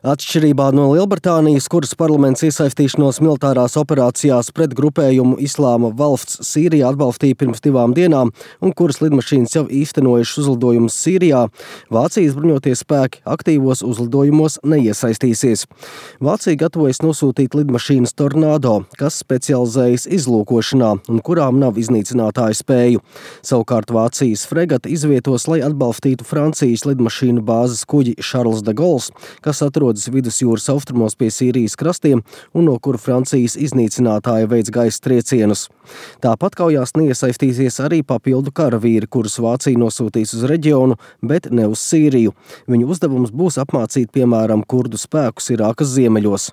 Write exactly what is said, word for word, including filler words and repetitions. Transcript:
Atšķirībā no Lielbritānijas, kuras parlaments iesaistīšanos militārās operācijās pret grupējumu Islāma valsts Sīrijā atbalstīja pirms divām dienām un kuras lidmašīnas jau īstenojušas uzlidojumus Sīrijā, Vācijas bruņotie spēki aktīvos uzlidojumos neiesaistīsies. Vācija gatavojas nosūtīt lidmašīnas Tornado, kas specializējas izlūkošanā un kurām nav iznīcinātāju spēju. Savukārt Vācijas fregata izvietos, lai atbalstītu Francijas lidmašīnu bāzes kuģi Charles de Gaulle, kas atrodas vidusjūras austrumos pie Sīrijas krastiem un no kura Francijas iznīcinātāja veids gaisa triecienus. Tāpat kaujās neiesaistīsies arī papildu karavīri, kurus Vācija nosūtīs uz reģionu, bet ne uz Sīriju. Viņu uzdevums būs apmācīt, piemēram, kurdu spēkus Irākas ziemeļos.